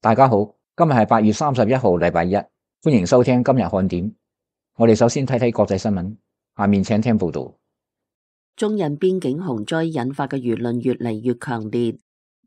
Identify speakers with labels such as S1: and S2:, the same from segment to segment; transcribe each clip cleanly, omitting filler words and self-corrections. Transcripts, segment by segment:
S1: 大家好，今日係8月31號，禮拜一，歡迎收聽今日看點。我哋首先睇睇國際新聞，下面請聽報道。
S2: 中印邊境洪災引發嘅輿論越嚟越強烈。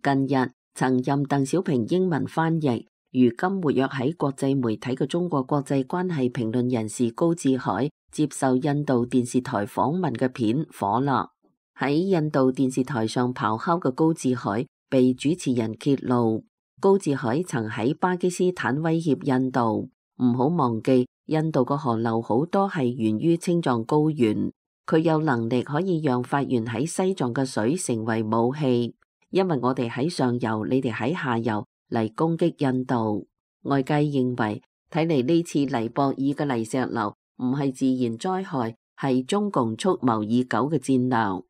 S2: 近日，曾任鄧小平英文翻譯，如今活躍喺國際媒體嘅中國國際關係評論人士高志海接受印度電視台訪問嘅片火啦。喺印度電視台上咆哮嘅高志海被主持人揭露，高志海曾喺巴基斯坦威脅印度，唔好忘記印度個河流好多係源於青藏高原，佢有能力可以讓發源喺西藏嘅水成為武器，因為我哋喺上游，你哋喺下游嚟攻擊印度。外界認為，睇嚟呢次尼泊爾嘅泥石流唔係自然災害，係中共蓄謀已久嘅戰略。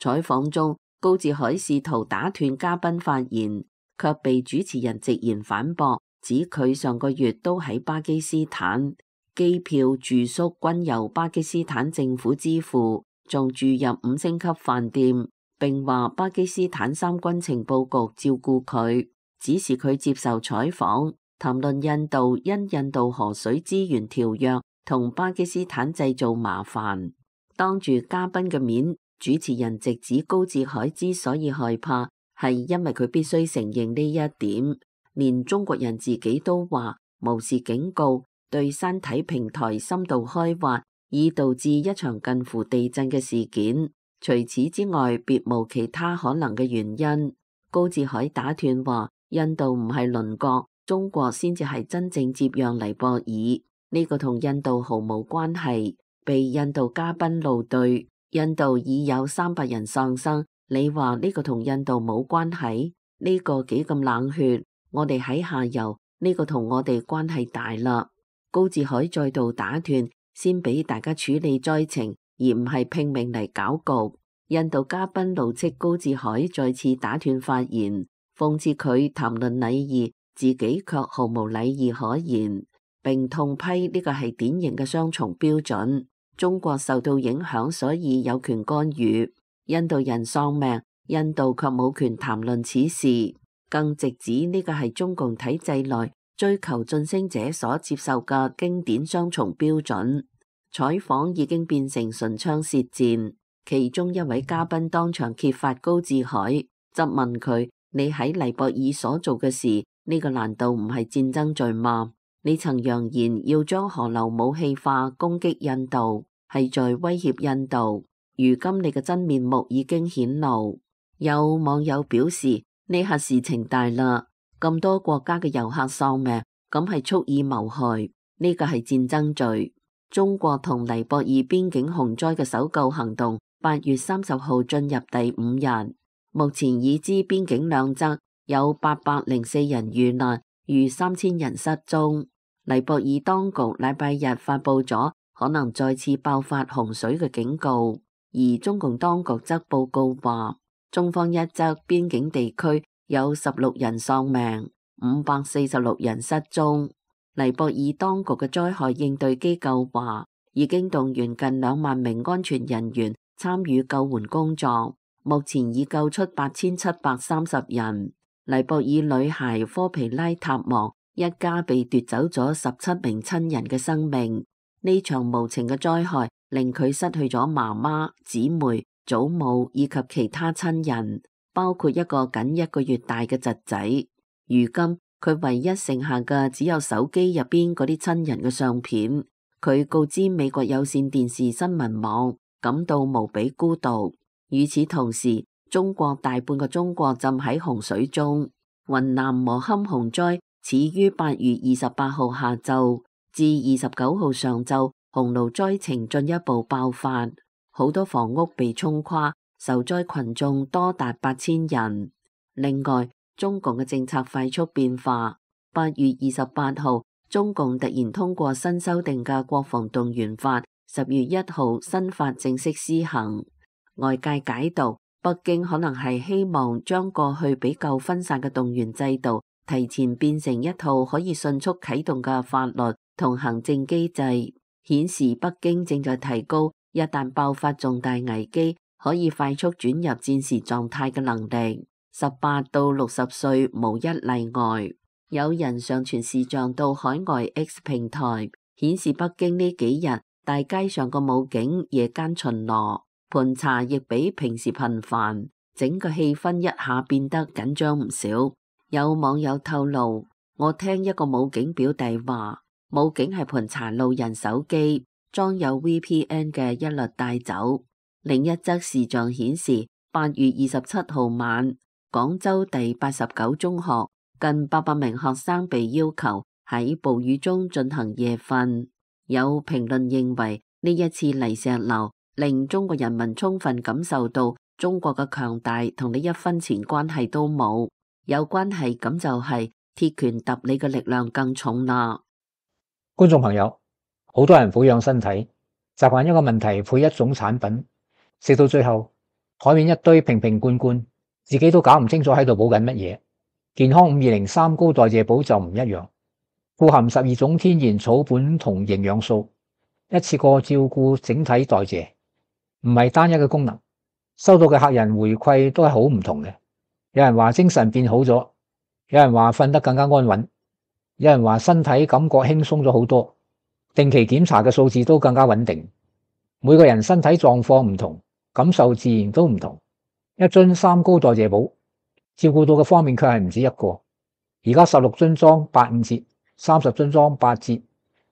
S2: 採訪中，高志海試圖打斷嘉賓發言，卻被主持人直言反駁，指佢上個月都喺巴基斯坦，機票住宿均由巴基斯坦政府支付，仲住入5星級飯店，並話巴基斯坦三軍情報局照顧佢，指示佢接受採訪，談論印度因印度河水資源條約同巴基斯坦製造麻煩。當住嘉賓嘅面，主持人直指高志海之所以害怕，係因為佢必須承認呢一點。連中國人自己都話無視警告，對山體平台深度開挖，已導致一場近乎地震嘅事件。除此之外，別無其他可能嘅原因。高志海打斷話，印度唔係鄰國，中國先至係真正接壤尼泊爾，呢個同印度毫無關係。被印度嘉賓怒對，印度已有300人喪生，你話呢個同印度冇關係？呢個幾咁冷血？我哋喺下游，呢個同我哋關係大啦。高志海再度打斷，先俾大家處理災情，而唔係拼命嚟搞局。印度嘉賓怒斥高志海再次打斷發言，諷刺佢談論禮儀，自己卻毫無禮儀可言，並痛批呢個係典型嘅雙重標準。中國受到影響，所以有權干預。印度人喪命，印度卻冇權談論此事，更直指呢個係中共體制內追求晉升者所接受嘅經典雙重標準。採訪已經變成唇槍舌戰，其中一位嘉賓當場揭發高志海，質問佢：你喺尼泊爾所做嘅事，呢個難道唔係戰爭罪嗎？你曾揚言要將河流武器化，攻擊印度，係在威脅印度。如今你嘅真面目已經顯露。有網友表示，呢下事情大啦，咁多國家嘅遊客喪命，咁係蓄意謀害，呢個係戰爭罪。中國同尼泊爾邊境洪災嘅搜救行動8月30號進入第5日，目前已知邊境兩側有804人遇難，逾3000人失蹤。尼泊爾當局禮拜日發佈咗可能再次爆發洪水嘅警告，而中共當局則報告話，中方一側邊境地區有16人喪命，546人失蹤。尼泊爾當局嘅災害應對機構話，已經動員近2萬名安全人員參與救援工作，目前已救出8730人。尼泊爾女孩科皮拉塔望一家被奪走咗17名親人嘅生命。呢場無情嘅災害令佢失去咗媽媽、姊妹、祖母以及其他親人，包括一個僅1個月大嘅侄仔。如今佢唯一剩下嘅只有手機入邊嗰啲親人嘅相片。佢告知美國有線電視新聞網，感到無比孤獨。與此同時，中國大半個中國浸喺洪水中。雲南磨堪洪災始於8月28號下晝至29號上晝，洪澇災情進一步爆發，好多房屋被沖垮，受災群眾多達8000人。另外，中共嘅政策快速變化。8月28號，中共突然通過新修訂嘅國防動員法，10月1號新法正式施行。外界解讀，北京可能係希望將過去比較分散嘅動員制度提前變成一套可以迅速啟動嘅法律同行政機制，顯示北京正在提高一旦爆發重大危機可以快速轉入戰時狀態嘅能力。18到60歲無一例外。有人上傳視像到海外 X 平台，顯示北京呢幾日大街上個武警夜間巡邏，盤查亦比平時頻繁，整個氣氛一下變得緊張唔少。有網友透露，我聽一個武警表弟話，武警係盤查路人手機，裝有 VPN 嘅一律帶走。另一則視像顯示，8月27號晚，廣州第89中學近800名學生被要求喺暴雨中進行夜訓。有評論認為，呢一次泥石流令中國人民充分感受到中國嘅強大同你一分錢關係都冇，有關係咁就係鐵拳揼你嘅力量更重啦。
S1: 觀眾朋友，好多人撫養身體，習慣一個問題配一種產品，食到最後台面一堆瓶瓶罐罐，自己都搞唔清楚喺度補緊乜嘢。健康520三高代謝寶就唔一樣，富含12種天然草本同營養素，一次過照顧整體代謝，唔係單一嘅功能。收到嘅客人回饋都係好唔同嘅，有人話精神變好咗，有人話瞓得更加安穩，有人話身體感覺輕鬆咗好多，定期檢查嘅數字都更加穩定。每個人身體狀況唔同，感受自然都唔同。一樽三高代謝寶照顧到嘅方面卻係唔止一個，而家16樽裝85折，30樽裝8折，啱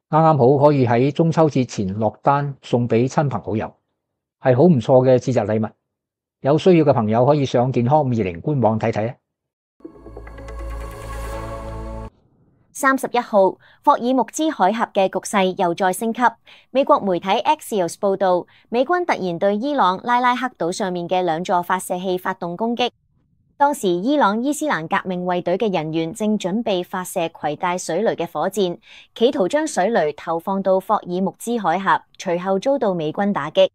S1: 啱好可以喺中秋節前落單送俾親朋好友，係好唔錯嘅節日禮物。有需要嘅朋友可以上健康520官網睇睇啊。
S3: 31號，霍爾木茲海峽嘅局勢又再升級。美國媒體 Axios 報道，美軍突然對伊朗拉拉克島上面嘅2座發射器發動攻擊。當時伊朗伊斯蘭革命衛隊嘅人員正準備發射攜帶水雷嘅火箭，企圖將水雷投放到霍爾木茲海峽，隨後遭到美軍打擊。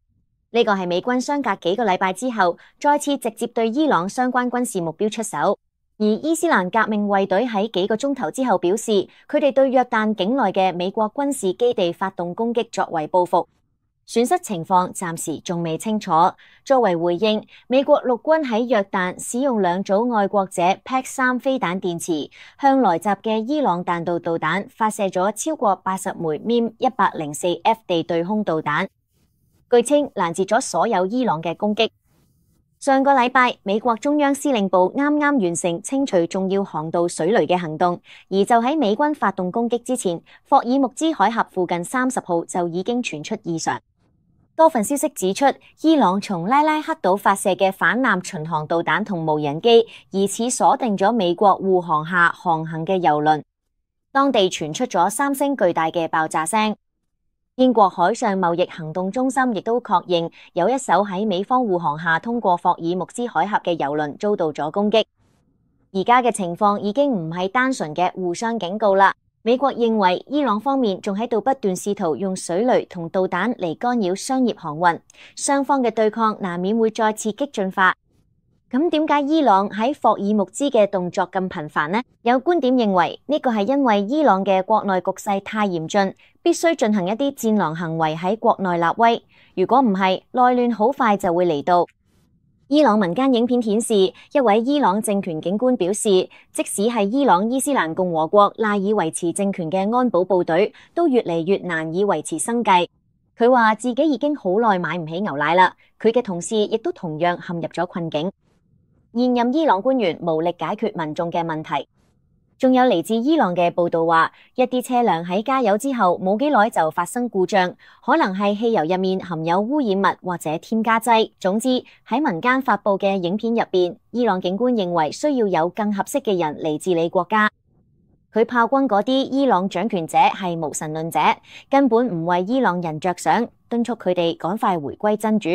S3: 呢個係美軍相隔幾個禮拜之後，再次直接對伊朗相關軍事目標出手。而伊斯蘭革命衛隊喺幾個鐘頭之後表示，佢哋對約旦境內嘅美國軍事基地發動攻擊作為報復。損失情況暫時仲未清楚。作為回應，美國陸軍喺約旦使用2組愛國者 PAC-3飛彈電池，向來襲嘅伊朗彈道導彈發射咗超過80枚 MIM-104F 地對空導彈，據稱攔截咗所有伊朗嘅攻擊。上個禮拜，美國中央司令部啱啱完成清除重要航道水雷嘅行動，而就喺美軍發動攻擊之前，霍爾木茲海峽附近30號就已經傳出異常。多份消息指出，伊朗從拉拉克島發射嘅反艦巡航導彈同無人機疑似鎖定咗美國護航下航行嘅油輪，當地傳出咗3聲巨大嘅爆炸聲。英國海上貿易行動中心亦都確認有一艘喺美方護航下通過霍爾木茲海峽嘅油輪遭到咗攻擊。而家嘅情況已經唔係單純嘅互相警告啦。美國認為伊朗方面仲喺度不斷試圖用水雷同導彈嚟干擾商業航運，雙方嘅對抗難免會再次激進化。咁點解伊朗喺霍爾木茲嘅動作咁頻繁呢？有觀點認為呢個係因為伊朗嘅國內局勢太嚴峻，必須進行一啲戰狼行為喺國內立威。如果唔係，內亂好快就會嚟到。伊朗民間影片顯示，一位伊朗政權警官表示，即使係伊朗伊斯蘭共和國賴以維持政權嘅安保部隊，都越嚟越難以維持生計。佢話自己已經好耐買唔起牛奶啦，佢嘅同事亦都同樣陷入咗困境。現任伊朗官員無力解決民眾嘅問題。仲有嚟自伊朗嘅報道話，一啲車輛喺加油之後冇幾耐就發生故障，可能係汽油入面含有污染物或者添加劑。總之喺民間發布嘅影片入邊，伊朗警官認為需要有更合適嘅人嚟治理國家。佢炮轟嗰啲伊朗掌權者係無神論者，根本唔為伊朗人着想，敦促佢哋趕快回歸真主。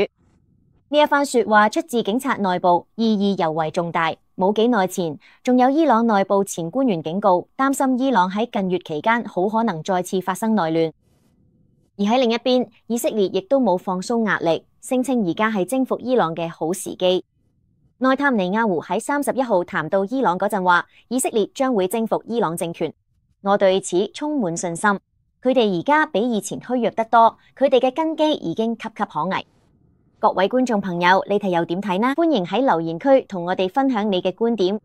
S3: 呢一番說話出自警察內部，意義尤為重大。冇幾耐前，仲有伊朗內部前官員警告，擔心伊朗喺近月期間好可能再次發生內亂。而喺另一邊，以色列亦都冇放鬆壓力，聲稱而家係征服伊朗嘅好時機。內塔尼亞胡喺31號談到伊朗嗰陣話，以色列將會征服伊朗政權。我對此充滿信心。佢哋而家比以前虛弱得多，佢哋嘅根基已經岌岌可危。各位觀眾朋友，你哋又點睇呢？歡迎喺留言區同我哋分享你嘅觀點。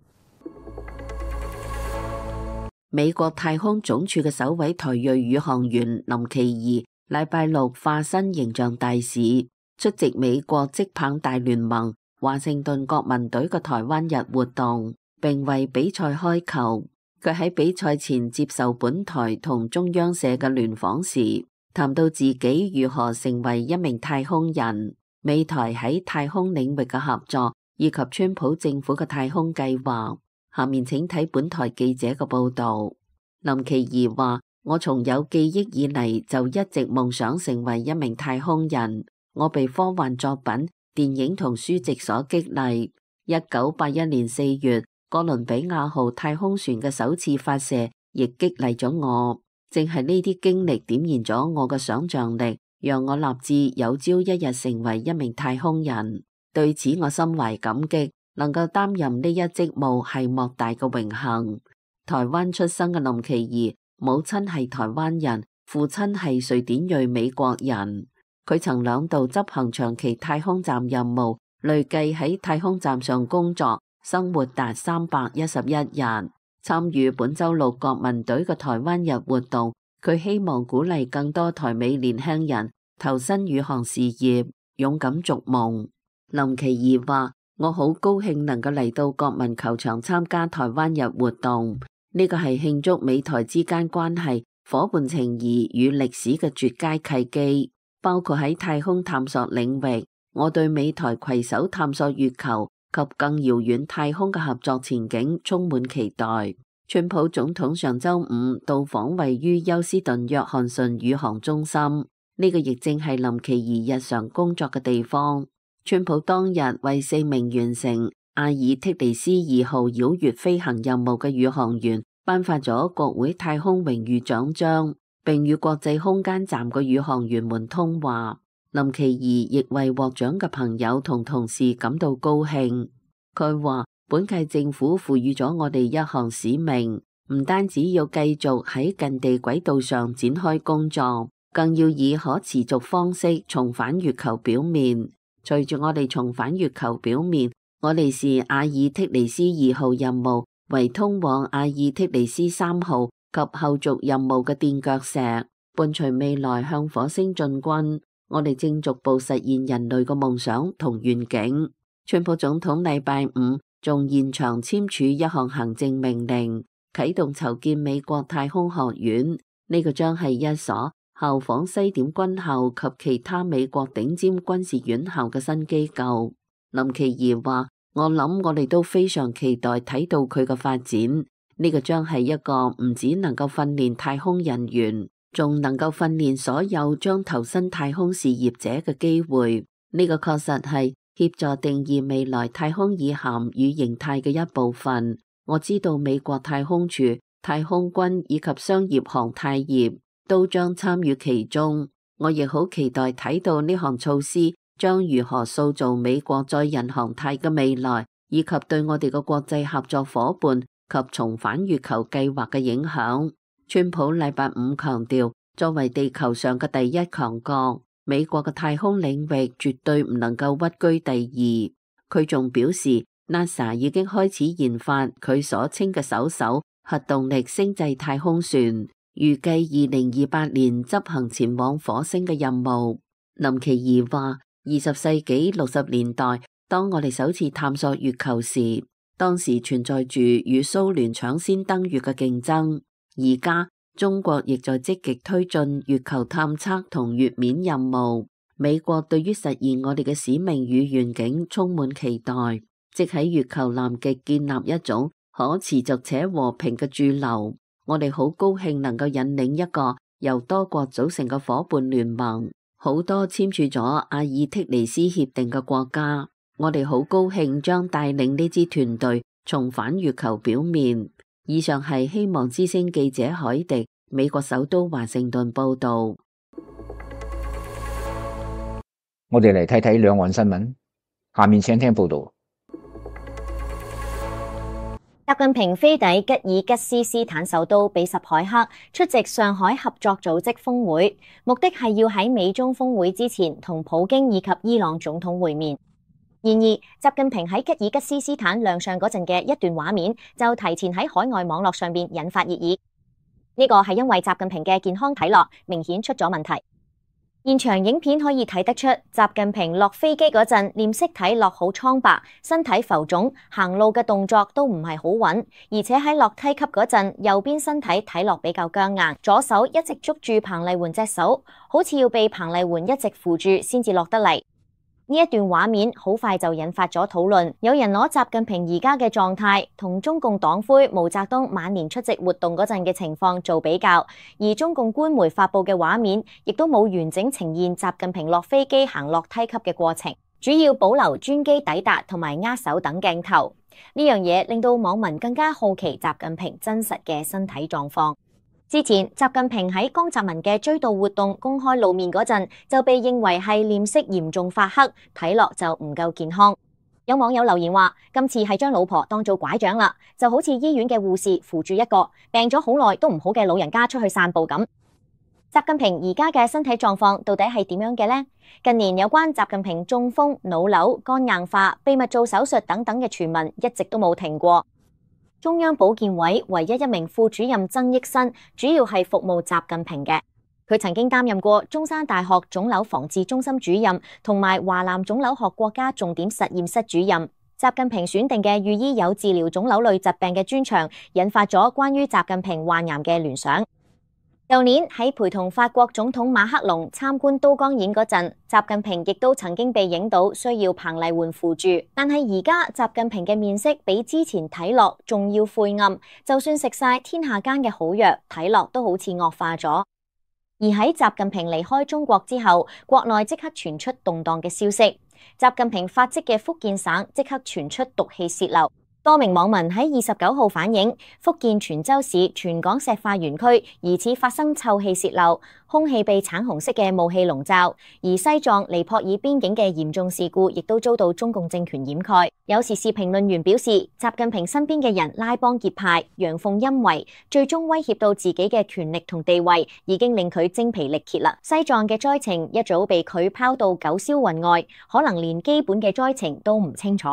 S2: 美國太空總署嘅首位台裔宇航員林奇儀禮拜六化身形象大使，出席美國職棒大聯盟華盛頓國民隊嘅台灣日活動，並為比賽開球。佢喺比賽前接受本台同中央社嘅聯訪時，談到自己如何成為一名太空人、美台喺太空領域嘅合作，以及川普政府嘅太空計劃。下面請睇本台記者嘅報道。林奇儀話：我從有記憶以嚟就一直夢想成為一名太空人。我被科幻作品、電影同書籍所激勵。1981年4月，哥倫比亞號太空船嘅首次發射亦激勵咗我。正係呢啲經歷點燃咗我嘅想象力，讓我立志有朝一日成為一名太空人。對此我心懷感激。能夠擔任呢一職務係莫大嘅榮幸。台灣出生嘅林奇儀，母親係台灣人，父親係瑞典裔美國人。佢曾2度執行長期太空站任務，累計喺太空站上工作生活達311日。參與本週6國民隊嘅台灣日活動，佢希望鼓勵更多台美年輕人投身宇航事業，勇敢逐夢。林奇儀話：我好高興能夠嚟到國民球場參加台灣日活動，呢個係慶祝美台之間關係、夥伴情誼與歷史嘅絕佳契機。包括喺太空探索領域，我對美台攜手探索月球及更遙遠太空嘅合作前景充滿期待。川普總統上週5到訪位於休斯頓約翰遜宇航中心，呢個亦正係林奇儀日常工作嘅地方。川普當日為4名完成阿爾忒尼斯2號繞月飛行任務嘅宇航員頒發咗國會太空榮譽獎章，並與國際空間站嘅宇航員們通話。林奇儀亦為獲獎嘅朋友同同事感到高興。佢話：本屆政府賦予咗我哋一項使命，唔單止要繼續喺近地軌道上展開工作，更要以可持續方式重返月球表面。隨住我哋重返月球表面，我哋視阿爾忒尼斯2號任務為通往阿爾忒尼斯3號及後續任務嘅墊腳石，伴隨未來向火星進軍。我哋正逐步實現人類嘅夢想同願景。川普總統禮拜5仲現場簽署一項行政命令，啟動籌建美國太空學院。呢個將係一所效仿西點軍校及其他美國頂尖軍事院校嘅新機構。林奇儀話：我諗我哋都非常期待睇到佢嘅發展。呢個將係一個唔只能夠訓練太空人員，仲能夠訓練所有將投身太空事業者嘅機會。呢個確實係協助定義未來太空意涵與形態嘅一部分。我知道美國太空署、太空軍以及商業航太業都將參與其中。我亦好期待睇到呢項措施將如何塑造美國載人航太嘅未來，以及對我哋嘅國際合作夥伴及重返月球計劃嘅影響。川普禮拜5強調，作為地球上嘅第一強國，美國嘅太空領域絕對唔能夠屈居第二。佢仲表示 NASA 已經開始研發佢所稱嘅首艘核動力星際太空船，預計2028年執行前往火星嘅任務。林奇儀話：20世紀60年代，當我哋首次探索月球時，當時存在住與蘇聯搶先登月嘅競爭。而家中國亦在積極推進月球探測同月面任務。美國對於實現我哋嘅使命與願景充滿期待，即喺月球南極建立一種可持續且和平嘅駐留。我哋好高興能夠引領一個由多國組成嘅夥伴聯盟，好多簽署咗阿爾忒尼斯協定嘅國家。我哋好高興將帶領呢支團隊重返月球表面。以上係希望之聲記者海迪，美國首都華盛頓報道。
S1: 我哋嚟睇睇兩岸新聞，下面請聽報道。
S3: 習近平飛抵吉爾吉斯斯坦首都比什凱克出席上海合作組織峰會，目的係要喺美中峰會之前同普京以及伊朗總統會面。然而，習近平喺吉爾吉斯斯坦亮相嗰陣嘅一段畫面，就提前喺海外網絡上邊引發熱議。呢個係因為習近平嘅健康睇落明顯出咗問題。現場影片可以睇得出，習近平落飛機嗰陣臉色睇落好蒼白，身體浮腫，行路嘅動作都唔係好穩，而且喺落梯級嗰陣，右邊身體睇落比較僵硬，左手一直捉住彭麗媛隻手，好似要被彭麗媛一直扶住先至落得嚟。呢一段畫面好快就引發咗討論，有人攞習近平而家嘅狀態同中共黨魁毛澤東晚年出席活動嗰陣嘅情況做比較，而中共官媒發佈嘅畫面亦都冇完整呈現習近平落飛機行落梯級嘅過程，主要保留專機抵達同埋握手等鏡頭。呢樣嘢令到網民更加好奇習近平真實嘅身體狀況。之前，習近平喺江澤民嘅追悼活動公開露面嗰陣，就被認為係臉色嚴重發黑，睇落就唔夠健康。有網友留言話：今次係將老婆當做拐杖啦，就好似醫院嘅護士扶住一個病咗好耐都唔好嘅老人家出去散步咁。習近平而家嘅身體狀況到底係點樣嘅呢？近年有關習近平中風、腦瘤、肝硬化、秘密做手術等等嘅傳聞一直都冇停過。中央保健委唯一一名副主任曾益新，主要係服務習近平嘅。佢曾經擔任過中山大學腫瘤防治中心主任，同埋華南腫瘤學國家重點實驗室主任。習近平選定嘅御醫有治療腫瘤類疾病嘅專長，引發咗關於習近平患癌嘅聯想。舊年喺陪同法國總統馬克龍參觀都江堰嗰陣，習近平亦都曾經被影到需要彭麗媛扶住。但係而家習近平嘅面色比之前睇落仲要晦暗，就算食晒天下間嘅好藥，睇落都好似惡化咗。而喺習近平離開中國之後，國內即刻傳出動盪嘅消息，習近平發跡嘅福建省即刻傳出毒氣洩漏。多名網民喺29號反映，福建泉州市全港石化園區疑似發生臭氣洩漏，空氣被橙紅色嘅霧氣籠罩。而西藏尼泊爾邊境嘅嚴重事故亦都遭到中共政權掩蓋。有時事評論員表示，習近平身邊嘅人拉幫結派、陽奉陰違，最終威脅到自己嘅權力同地位，已經令佢精疲力竭啦。西藏嘅災情一早被佢拋到九霄雲外，可能連基本嘅災情都唔清楚。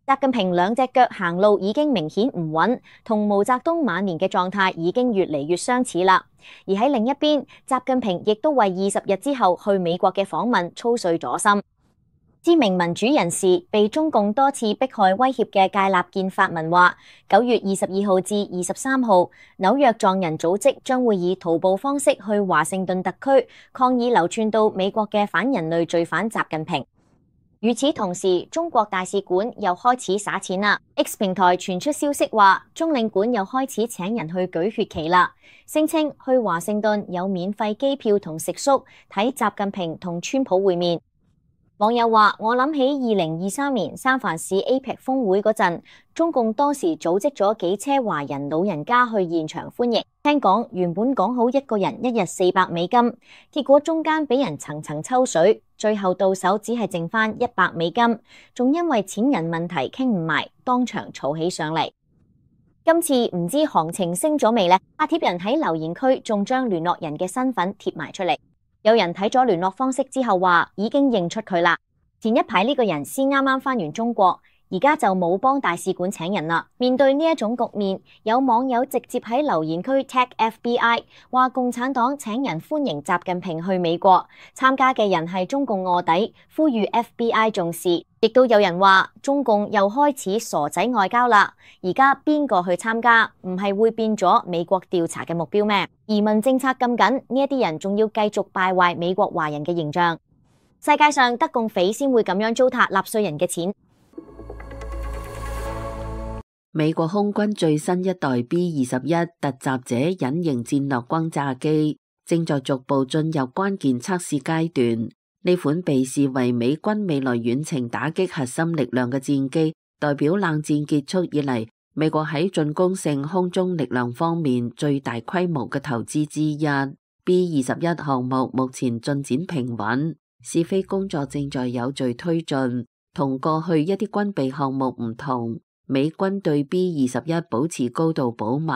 S3: 習近平兩隻腳行路已經明顯唔穩，同毛澤東晚年嘅狀態已經越嚟越相似啦。而喺另一邊，習近平亦都為20日之後去美國嘅訪問操碎咗心。知名民主人士被中共多次迫害威脅嘅戒立健發文話，9月22號至23號，紐約藏人組織將會以徒步方式去華盛頓特區抗議流竄到美國嘅反人類罪犯習近平。與此同時，中國大使館又開始撒錢啦。X 平台傳出消息話，中領館又開始請人去舉血旗啦，聲稱去華盛頓有免費機票同食宿，睇習近平同川普會面。網友話：我諗起2023年三藩市 APEC 峰會嗰陣，中共當時組織咗幾車華人老人家去現場歡迎。聽講原本講好一個人一日400美金，結果中間俾人層層抽水，最後到手只係剩翻100美金，仲因為錢銀問題傾唔埋，當場吵起上嚟。今次唔知行情升咗未呢？發帖人喺留言區仲將聯絡人嘅身份貼埋出嚟。有人睇咗聯絡方式之後話已經認出佢啦。前一排呢個人先啱啱返完中國，而家就冇幫大使館請人啦。面對呢一種局面，有網友直接喺留言區 tag FBI， 話共產黨請人歡迎習近平去美國，參加嘅人係中共臥底，呼籲 FBI 重視。亦都有人話中共又開始傻仔外交啦，而家邊個去參加，唔係會變咗美國調查嘅目標咩？移民政策咁緊，呢一啲人仲要繼續敗壞美國華人嘅形象。世界上得共匪先會咁樣糟蹋納稅人嘅錢。
S2: 美國空軍最新一代 B-21 突襲者隱形戰略轟炸機正在逐步進入關鍵測試階段。呢款被視為美軍未來遠程打擊核心力量嘅戰機，代表冷戰結束以嚟美國喺進攻性空中力量方面最大規模嘅投資之一。B-21 項目目前進展平穩，試飛工作正在有序推進。同過去一啲軍備項目唔同，美軍對 B-21 保持高度保密，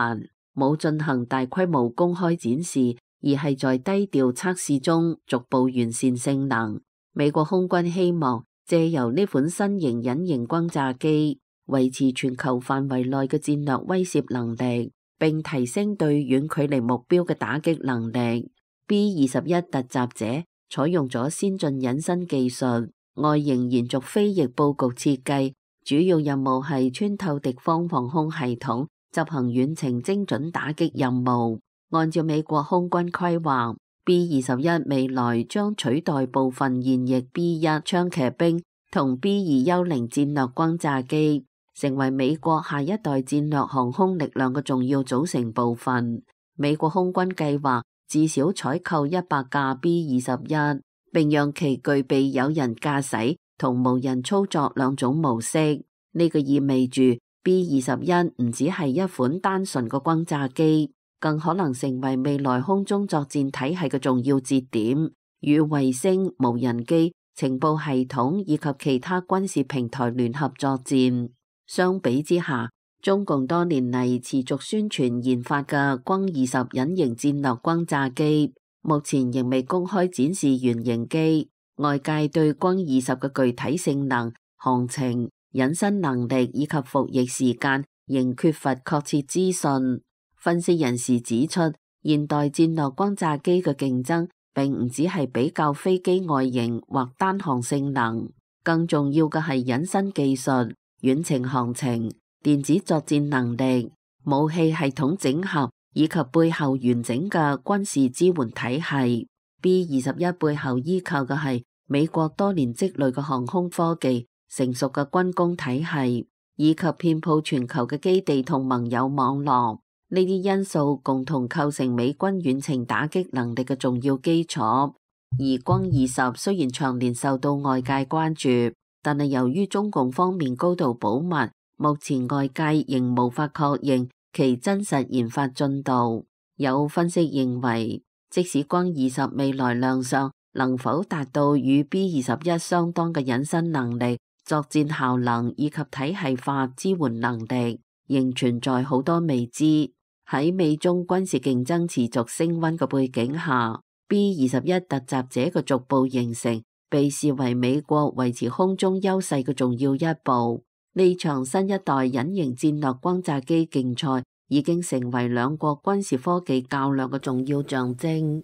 S2: 冇進行大規模公開展示，而係在低調測試中逐步完善性能。美國空軍希望借由呢款新型隱形轟炸機維持全球範圍內嘅戰略威懾能力，並提升對遠距離目標嘅打擊能力。B-21突襲者採用咗先進隱身技術，外形延續飛翼佈局設計，主要任務係穿透敵方防空系統，執行遠程精準打擊任務。按照美國空軍規劃，B-21未來將取代部分現役 B-1槍騎兵同 B-2幽靈戰略轟炸機，成為美國下一代戰略航空力量嘅重要組成部分。美國空軍計劃至少採購100架 B-21，並讓其具備有人駕駛同無人操作兩種模式。呢個意味住 B-21唔只係一款單純嘅轟炸機，更可能成為未來空中作戰體系嘅重要節點，與衛星、無人機、情報系統以及其他軍事平台聯合作戰。相比之下，中共多年嚟持續宣傳研發嘅轟20隱形戰略轟炸機，目前仍未公開展示原型機。外界對轟20嘅具體性能、航程、隱身能力以及服役時間仍缺乏確切資訊。分析人士指出，現代戰略轟炸機嘅競爭並唔只係比較飛機外形或單項性能，更重要嘅係隱身技術、遠程航程、電子作戰能力、武器系統整合以及背後完整嘅軍事支援體系。B-21背後依靠嘅係美國多年積累嘅航空科技、成熟嘅軍工體系以及遍佈全球嘅基地同盟友網絡。呢啲因素共同構成美軍遠程打擊能力嘅重要基礎。而轟20雖然長年受到外界關注，但係由於中共方面高度保密，目前外界仍無法確認其真實研發進度。有分析認為，即使轟20未來亮相，能否達到與 B-21相當嘅隱身能力、作戰效能以及體系化支援能力，仍存在好多未知。喺美中軍事競爭持續升溫嘅背景下， B-21突襲者嘅逐步形成被視為美國維持空中優勢嘅重要一步。呢場新一代隱形戰略轟炸機競賽已經成為兩國軍事科技較量嘅重要象徵。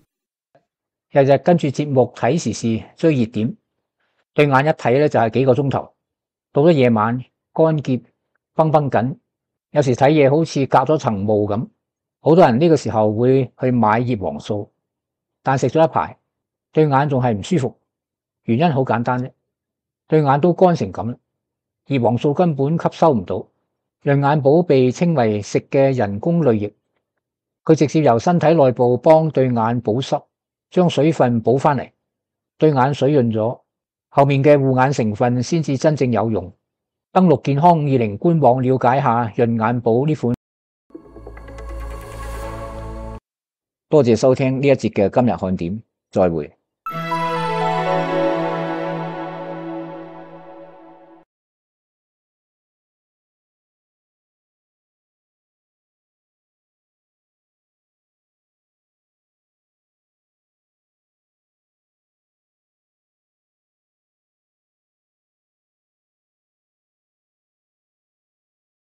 S1: 日日跟住節目睇時事追熱點，對眼一睇咧就係幾個鐘頭，到咗夜晚乾澀繃繃緊，有時睇嘢好似隔咗層霧咁。好多人呢個時候會去買葉黃素，但食咗一排，對眼仲係唔舒服。原因好簡單啫，對眼都乾成咁，葉黃素根本吸收唔到。潤眼寶被稱為食嘅人工淚液，佢直接由身體內部幫對眼保濕，將水分補翻嚟，對眼水潤咗，後面嘅護眼成分先至真正有用。登錄健康520官網了解下潤眼寶呢款。多謝收聽呢一節嘅今日看點，再會。